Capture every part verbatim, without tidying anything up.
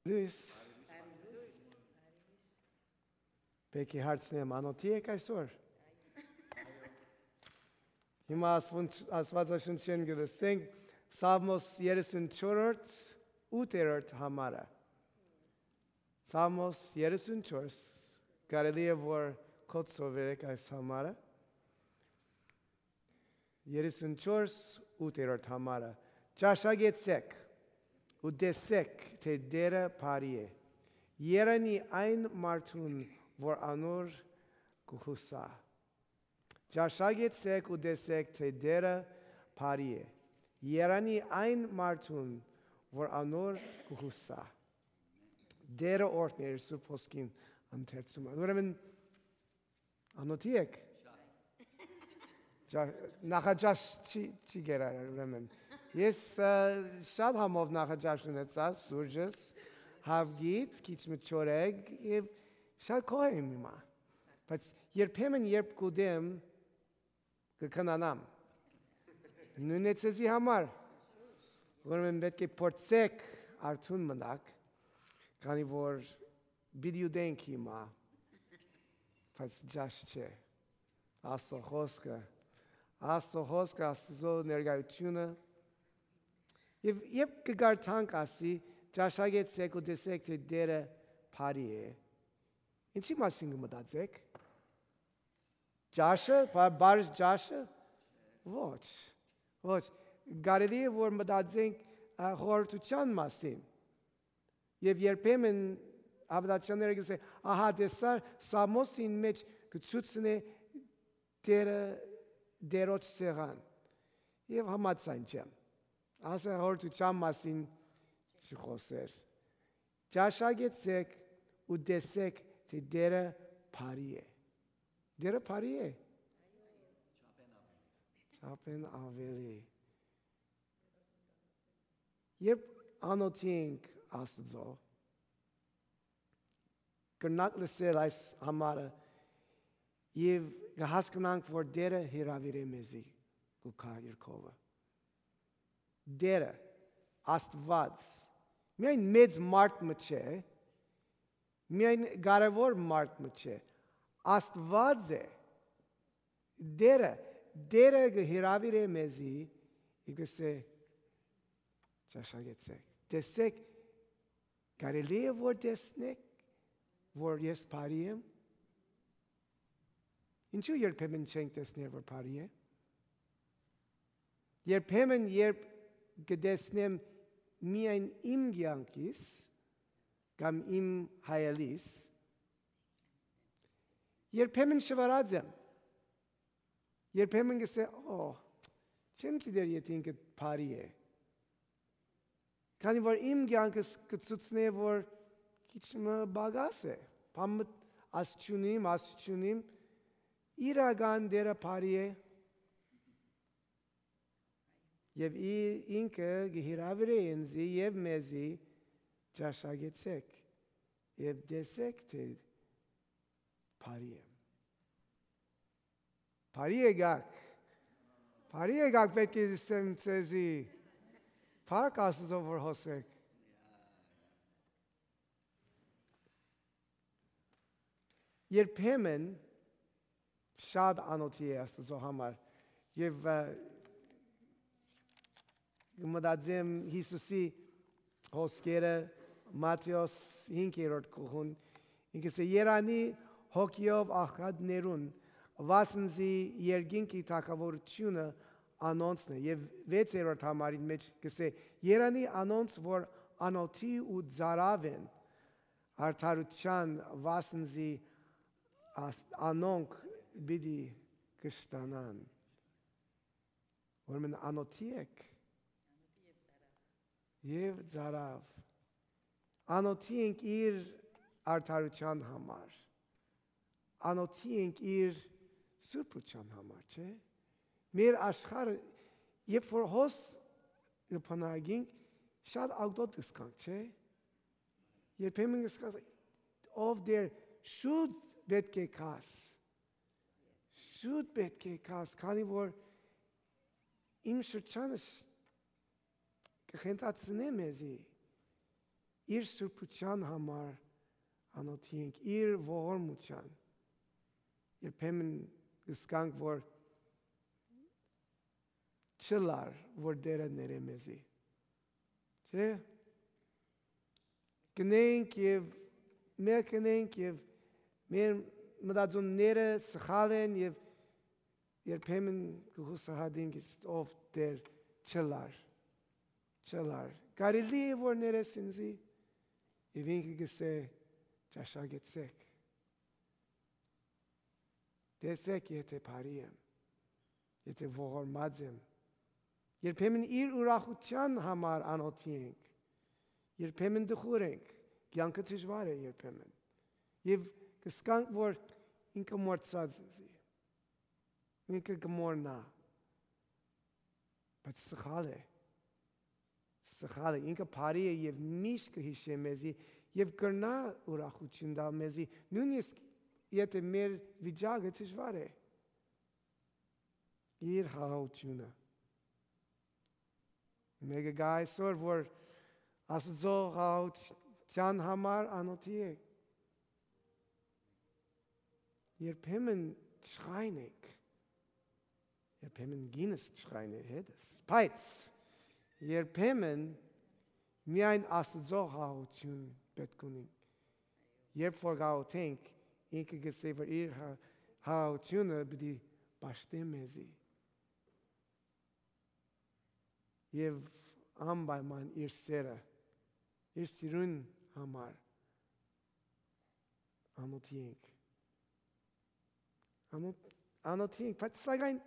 Լոյս։ Պէտք է հարցնեմ, անօթի՞ եք այսօր։ Հիմա Աստուն-, Աստուածաշունչէն կը լսենք Սաղմոս երեսուն չորրորդ, ութերորդ համարը։ Սաղմոս երեսուն չորս, կարելի է որ կոչ սովերեք այս համարը։ Երեսուն չորս, ութերորդ համարը։ Ճաշակեցէք ու տեսէք թէ Տէրը բարի է։ Երանի այն մարդուն որ անոր կը յուսայ։ Ճաշակեցէք ու տեսէք թէ Տէրը բարի է։ Երանի այն մարդուն որ անոր կը յուսայ։ Տէրը օրհնէ իր Սուրբ Հոգին ընթերցումը։ Ուրեմն, անօթի՞ եք։ Ճա-, նախաճաշ չի, չի գերարար, ուրեմն։ Ես, ը, շատ համով նախաճաշ ունեցայ, սուրճս, հաւկիթ, քիչ մը չորեգ, եւ շատ գոհ եմ հիմա։ Բայց երբեմն, երբ կ'ուտեմ, կը քնանամ։ Նոյնն է ձեզի համար։ Ուրեմն պէտք է փորձեք արթուն մնաք, քանի որ պիտի ուտենք հիմա, բայց ճաշ չէ։ Աստուծոյ խօսքը, Աստուծոյ խօսքը, Աստուծոյ ներկայությունը։ Եւ, եւ կը կարդանք, ասի, «Ճաշակեցէք ու տեսէք թէ Տէրը բարի է»։ Ինչի՞ մասին կը մտածէք։ Ճաշը, բա-, բարի ճաշը։ Ոչ, ոչ, կարելի է որ մտածենք, ա, խորհրդութեան մասին։ Եւ երբեմն հաւատացյալները կ'ըսեն, ահա տեսա, Սաղմոսին մէջ կը ցուցնէ Տէրը, Տէրոջ սեղան։ Եւ համաձայն չեմ։ Ասը խորհրդութեան մասին չխօսեր։ Ճաշակեցէք ու տեսէք թէ Տէրը բարի է։ Տէրը բարի է։ Չափէն աւելի։ Երբ անօթի ենք Աստուծոյ, կրնանք լսել այս համարը եւ կը հասկնանք որ Տէրը հրաւիրէ մեզի, կու գայ իր քովը։ Տէրը, Աստուած, միայն մեծ մարդ մը չէ, միայն կարեւոր մարդ մը չէ, Աստուած է, Տէրը, Տէրը կը հրաւիրէ մեզի, եւ կ'ըսէ. «Ճաշակեցէք, տեսէք, կարելի՞ է որ տեսնէք որ ես բարի եմ»։ Ինչու՞ երբեմն չենք տեսներ որ բարի է։ Երբեմն, երբ կը տեսնեմ միայն իմ կեանքիս կամ իմ հայելիս, երբեմն շվարած եմ, երբեմն կ'ըսեմ. «Օ, չեմ գիտեր եթէ ինքը բարի է»։ Քանի որ իմ կեանքս կը ցուցնէ որ քիչ մը պակաս է, բան մը աս չունիմ, աս չունիմ, իրական Տէրը բարի է։ Եւ ի-, ինքը կը հրաւիրէ ինձի եւ մեզի. «Ճաշակեցէք եւ տեսէք թէ բարի եմ»։ Բարի եկաք։ Բարի եկաք, պէտք է ըսեմ ձեզի։ Փառք Աստուծոյ որ հոս էք։ Երբեմն շատ անօթի է Աստուծոյ համար։ Եւ, ը, կը մտածեմ Յիսուսի հոսքերը Մատթէոս հինգերորդ գլխուն, ինքը կ'ըսէ. «Երանի հոգիով աղքատներուն, վասն զի երկինքի թագաւորութիւնը անոնցն է»։ Եւ վեցերորդ համարին մէջ կ'ըսէ. «Երանի անոնց որ անօթի ու ծարաւ են արդարութեան, վասն զի աս-, անոնք պիտի կշտանան»։ Ուրեմն անօթի եք։ Եւ ծարաւ։ Անօթի ենք իր արդարութեան համար։ Անօթի ենք իր սուրբութեան համար, չէ՞։ Մեր աշխարհը, երբ որ հոս կը բնակենք, շատ աղտոտ կ'զգանք, չէ՞։ Երբեմն կ'զգանք, ով դեր, շուտ պէտք է գաս։ Շուտ պէտք է գաս, քանի որ իմ շրջանս կը խենթացնէ մեզի։ իր սուրբութեան համար անօթի ենք, իր ողորմութեան։ Երբեմն կ'ըսկանք, որ չ'ըլլար, որ Տէրը ներէ մեզի։ Չէ՞։ Կ'ընենք եւ մեր կ'ընենք եւ մեր մտածումները սխալ են եւ երբեմն կը յուսահատենք, ով Տէր չ'ըլլար, չ'ըլլար։ Կարելի՞ է որ ներես ինծի։ Եւ ինքը կ'ըսէ. «Ճաշակեցէք, տեսէք եթէ բարի եմ, եթէ ողորմած եմ»։ Երբեմն իր ուրախութեան համար անօթի ենք, երբեմն տխուր ենք, կեանքը դժուար է երբեմն։ Եւ կ'ըսկանք, որ ինքը մոռցած ինծի, ինքը կը մոռնայ, բայց սխալ է, սխալ է, ինքը բարի է եւ միշտ կը յիշէ մեզի եւ կրնայ ուրախութիւն տալ մեզի, նոյնիսկ եթէ մեր վիճակը դժուար է։ Իր խաղաղութիւնը։ Մէկը կայ այսօր, որ Աստուծոյ խաղաղութեան համար անօթի է։ Երբեմն չխայն ենք, երբեմն կինս չխայն է հետս, բայց երբեմն միայն Աստուծոյ խաղաղութիւն պէտք ունենք։ Երբ որ գաղութենք, ինքը կ'ըսէ, որ իր խաղաղութիւնը պիտի պաշտէ մեզի եւ անպայման իր սէրը, իր սիրուն համար անօթի ենք։ Անօ-, անօթի ենք, բայց սակայն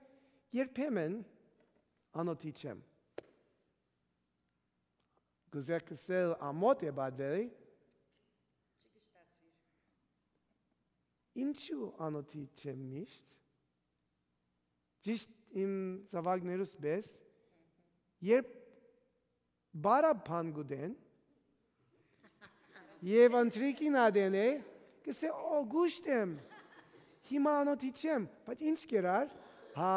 երբեմն անօթի չեմ։ Կ'ուզէ ըսել, ամօթ է պատուելի։ Ինչու անօթի չեմ միշտ։ Ճիշդ իմ զաւակներուս պէս, երբ բարա բան կ'ուտեն, եւ ընթրիքին ատեն է, կ'ըսէ, «Օ, կուշտ եմ, հիմա անօթի չեմ», բայց ինչ կերար, հա,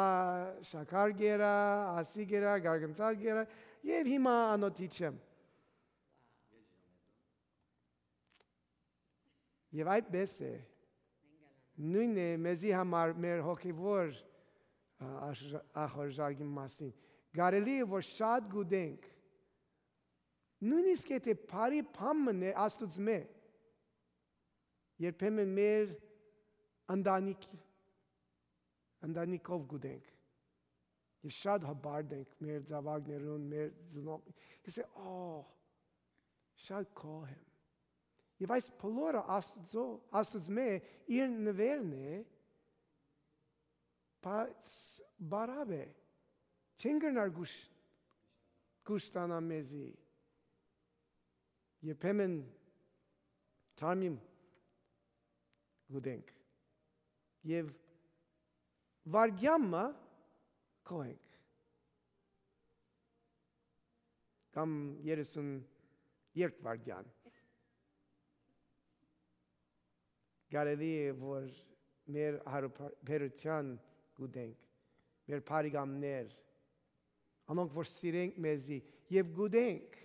շաքար կերա, ասի կերա, գարգնցալ կերա, եւ հիմա անօթի չեմ։ Եւ այդպես է։ Նոյնն է մեզի համար մեր հոգեվոր, ա, աշ-, ախորժակի մասին։ Կարելի է, որ շատ գուտենք, նոյնիսկ եթե բարի բան մնէ Աստուծմէ, երբեմն մեր ընտանիք, ընտանիքով գուտենք։ Եւ շատ հպարտ ենք մեր զաւակներուն, մեր ծնող-, կ'ըսէ, «Օ, շատ գոհ եմ»։ Եւ այս բոլորը Աստուծո-, Աստուծմէ իր նուէրն է, բայց բարապ է, չեն կրնար կուշ-, կուշտանալ մեզի։ Երբեմն թարմիմ գուտենք եւ վարգեան մը գոհ ենք, կամ երեսուն երկու վարգեան։ Կարելի է, որ մեր հարաբերութեան գուտենք, մեր բարեկամներ, անոնք որ սիրենք մեզի եւ գուտենք,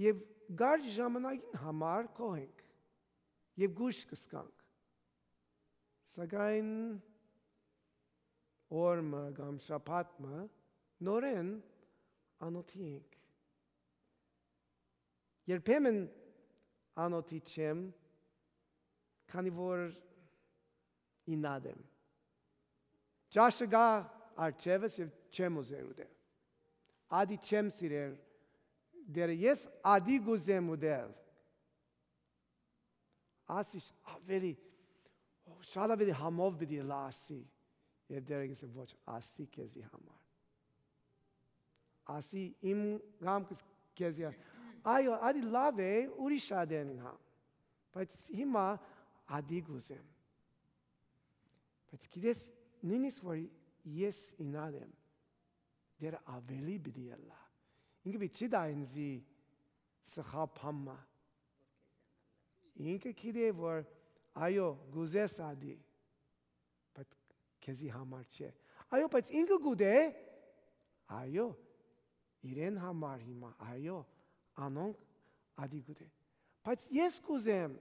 եւ կարճ ժամանակին համար գոհ ենք եւ կուշ կ'ըսկանք։ Սակայն օր մը կամ շաբաթ մը նորէն անօթի ենք։ Երբեմն անօթի չեմ, քանի որ ինատ եմ։ Ճաշը գայ առջեւս եւ չեմ ուզեր ուտել։ Ատի չեմ սիրեր դերը, ես ատի կ'ուզեմ ուտել։ Ասի, ավելի, շատ ավելի համով պիտի ըլլայ, ասի։ Եւ դերը կ'ըսէ, «Ոչ, ասի քեզի համար։ Ասի իմ կամքս քեզի համար»։ Այո, ատի լաւ է, ուրիշ ատեն համ։ Բայց հիմա ատի կ'ուզեմ։ Բայց գիտես, նոյնիսկ որ ես ինատ եմ, դերը ավելի պիտի ըլլայ։ Ինքը պիտի չի տայ ինձի սխալ բան մը։ Ինքը գիտէ, որ այո, կ'ուզես ատի, բայց քեզի համար չէ։ Այո, բայց ինքը կ'ուտէ, այո, իրեն համար հիմա, այո, անոնք ատի կ'ուզէ։ Բայց ես կ'ուզեմ։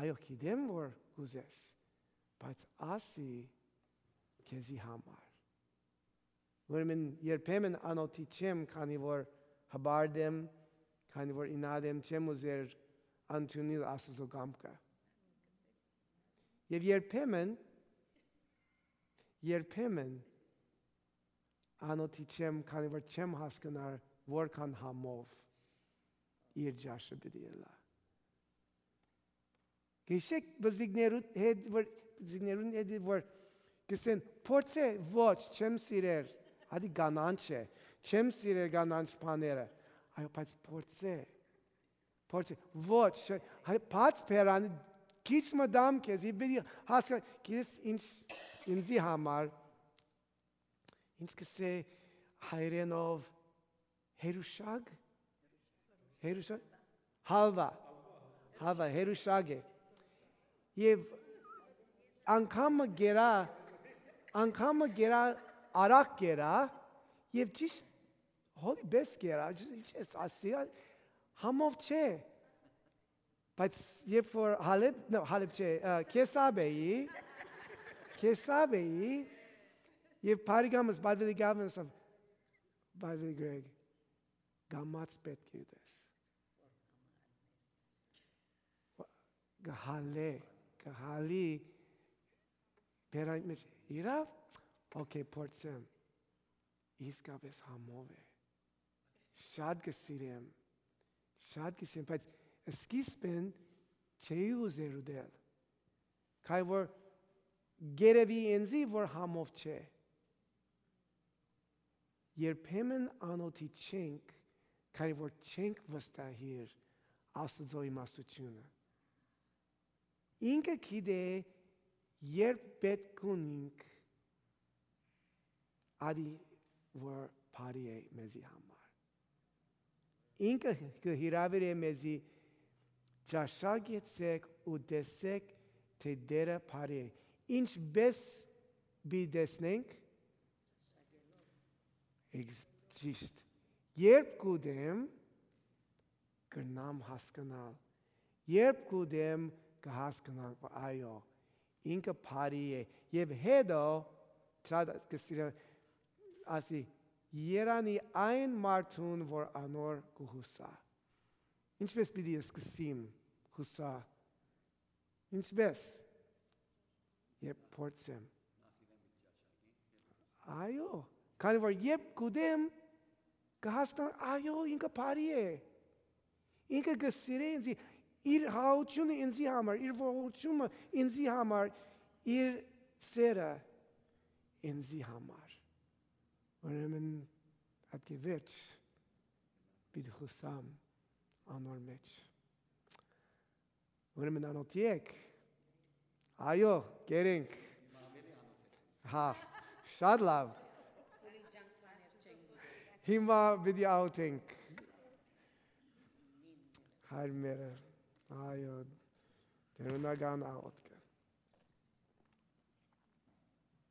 Այո, գիտեմ որ կ'ուզես, բայց ասի քեզի համար։ Ուրեմն երբեմն անօթի չեմ, քանի որ հպարտ եմ, քանի որ ինատ եմ, չեմ ուզեր ընդունիլ Աստուծոյ կամքը։ Եւ երբեմն, երբեմն անօթի չեմ, քանի որ չեմ հասկնար որքան համով իր ճաշը պիտի ելայ։ Գիշեք բզիկներու հետ որ, բզիկներուն հետ որ կսեն, փորձե, ոչ, չեմ սիրեր, հատի կանանչ է, չեմ սիրեր կանանչ բաները, այո, բայց փորձե, փորձե, ոչ, չէ, հայ, բաց բերանի, քիչ մը դամ քեզ, ի պիտի հասկան, գիտես ինչ, ինձի համար, ինչ կսե հայրենով, հերուշակ, հերուշակ, հալվա, հալվա, հերուշակ է։ Եւ անգամ մը գերա, անգամ մը գերա, արագ գերա, եւ ճիշտ հոդի պես գերա, ճիշտ ես ասի, համով չէ։ Բայց երբ որ Հալեբ, no, Հալեբ չէ, ը, Քեսապ էի, Քեսապ էի, եւ բարեկամս Բարվելի Գավնս, Բարվելի Գրեգ, կամաց պէտք է ուտես։ Կը հալէ, կը հալի, բերան մեջ, իրաւ, օքեյ, փորձեմ, իսկապէս համով է, շատ կը սիրեմ, շատ կը սիրեմ, բայց սկիզբն չէի ուզեր ուտել, քանի որ գերեւի ինձի որ համով չէ։ Երբեմն անօթի չենք, քանի որ չենք վստահիր Աստուծոյ իմաստութիւնը։ Ինքը գիտէ երբ պէտք ունինք ատի որ բարի է մեզի համար։ Ինքը կը հրաւիրէ մեզի ճաշակեցեք ու տեսեք թէ Տէրը բարի է։ Ինչպէս պիտի տեսնենք, Էքս-, ճիշտ։ Երբ կուտեմ, կրնամ հասկնալ։ Երբ կուտեմ, կը հասկնանք, որ այո, ինքը բարի է։ Եւ հետո, շատ կը սիրեմ, ասի, երանի այն մարդուն, որ անոր կը յուսայ։ Ինչպէս պիտի սկսեմ յուսա Ինչպէս։ Երբ փորձեմ։ Այո, քանի որ երբ կուտեմ, կհասկան, այո, ինքը բարի է։ Ինքը կը սիրէ ինձի, իր հաությունը ինձի համար, իր ողորմությունը ինձի համար, իր սերը ինձի համար։ Ուրեմն, ատկի վերջ պիտի յուսամ անոր մեջ։ Ուրեմն անօթի եք։ Այո, կերենք։ Հա, շատ լավ։ Հիմա պիտի աղոթենք։ Հայր մերը, այո, տերունական աղոթք։